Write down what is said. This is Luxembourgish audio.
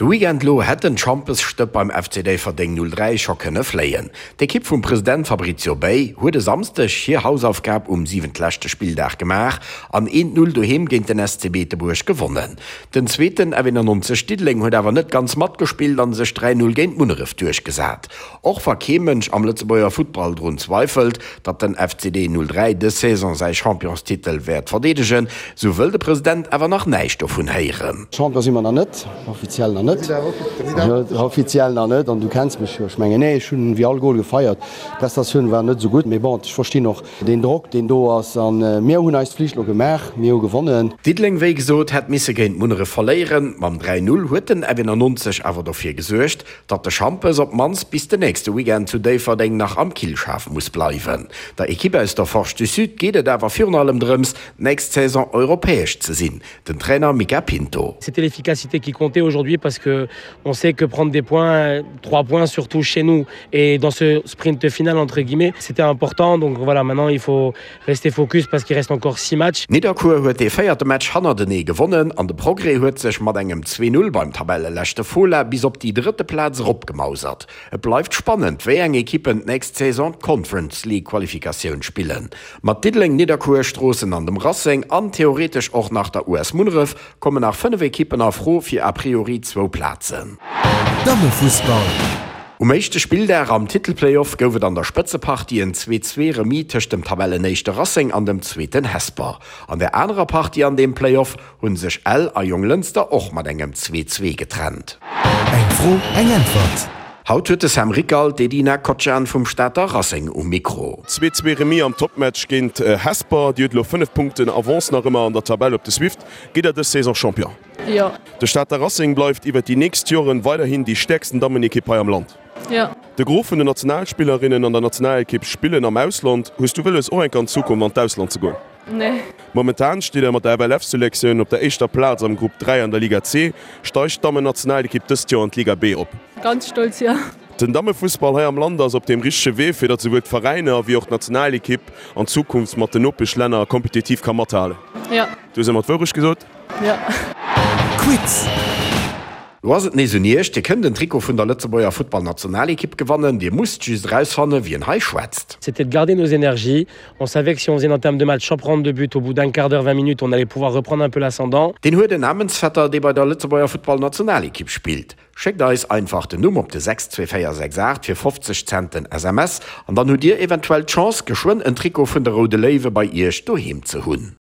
De Weekend lo hätt den Champesstëpp beim FC Déifferdeng 03 scho kënne fléien. D'Ekipp vum President Fabrizio Bei huet e Samsdeg hir Hausaufgab um siwentleschte Spilldag gemaach an 1, 0 doheem géint den SC Beetebuerg gewonnen. Den zweeten F91 Diddeleng huet awer net ganz matgespillt an sech 3, 0 géint Munneref duerchgesat. Och wa kee Mënsch am Lëtzebuerger Futtball drun zweifelt, datt den FCD 03 dës Saison säi Championstitel wäert verdeedegen, sou wëll de President awer nach näischt dovun héieren. Champion si mer nach net, offiziell nach net, offiziell nach net. An du kenns mech jo, ech mengen, nee, ech hunn wéi all Gol gefeiert. D'Prestatioun war net esou gutt, mee bon, ech verstinn och deen Drock, deen do ass. A mir hunn eis Flicht elo gemaach, mir hu gewonnen. Diddeleng, wéi gesot, hätt misse géint Munneref verléieren. Mam 3, 0 huet den F91 awer dofir gesuergt, Datt de Schampes op d'mannst bis den nächste Weekend zu Déifferdeng nach am Killschaf muss bleiwen. Der Ekipp aus der Forge du Sud geet et awer virun allem drëms, d'nächst Saison europäesch ze sinn. Den Trainer Mica Pinto. C'était l'efficacité qui comptait aujourd'hui parce que on sait que prendre des points, trois points surtout chez nous et dans ce sprint final entre guillemets, c'était important. Donc voilà, maintenant il faut rester focus parce qu'il reste encore 6 matchs. Nidderkuer huet dee véierte Match hannertenee gewonnen an de Progrès huet sech mat engem 2, 0 beim Tabelleleschte Fola bis op déi drëtte Plaz eropgemausert. Et bleift spannend, wéi eng Ekippen d'nächst Saison d'Conference League Qualifikatioun spillen. Mat Diddeleng, Nidderkuer, Stroossen an dem Racing an theoretesch och nach der US Munneref kommen nach 5 Ekippen a Fro fir a priori zwou Plazen. Dammefussball. Um éischte Spilldag am Titelplayoff gouf et an der Spëtzepartie en 2, 2 Remis tëscht dem Tabellenéischte Racing an dem zweeten Hesper. An der anerer Partie an deem Playoff hu sech Ell a Jonglënster och mat engem 2, 2 getrennt. Eng Fro, eng Äntwert. Haut huet de Sam Rickal d'Edina Kocjan vum Stater Racing um Mikro. 2, 2 Remis am Topmatch géint Hesper. Dir hutt elo 5 Punkten Avance nach ëmmer an der Tabell op de Swift. Gitt der dës Saison Champion? Jo. De Stater Racing bleift iwwer déi nächst Joren weiderhin déi stäerksten Dammenekipp hei am Land. Jo. De Gros vun den Nationalspillerinnen an der Nationalekipp spillen am Ausland. Hues du wëlles och enk an Zukunft an d'Ausland ze goen? Nee. Momentan steet der mat der FLF-Selektioun op der éischter Plaz am Grupp 3 an der Liga C. Steigt d'Dammennationalekipp dëst Joer an d'Liga B op? Ganz stolz, jo. Den Dammefussball hei am Land ass op deem richtege Wee, fir datt souwuel d'Veräiner wéi och d'Nationalekipp an Zukunft mat den Nopeschlänner kompetitiv ka mathalen. Jo. Du hues ëmmer d'Wourecht gesot. Jo. Quiz. Lo ass et nees un Iech, Dir kënnt en Trikot vun der Lëtzebuerger Futtballnationalekipp gewannen. Dir musst just erausfannen, wien hei schwätzt. C'était de garder nos énergies. On savait que si on faisait une entame de match sans prendre de but au bout d'un quart d'heure, 20 minutes, on allait pouvoir reprendre un peu l'ascendant. Deen huet en Namensvetter, dee bei der Lëtzebuerger Futtballnationalekipp spillt. Schéckt eis einfach den Numm op de 62468 fir 50 Cent den SMS an dann hutt Dir eventuell d'Chance, geschwënn en Trikot vun de Roude Léiwe bei Iech doheem ze hunn.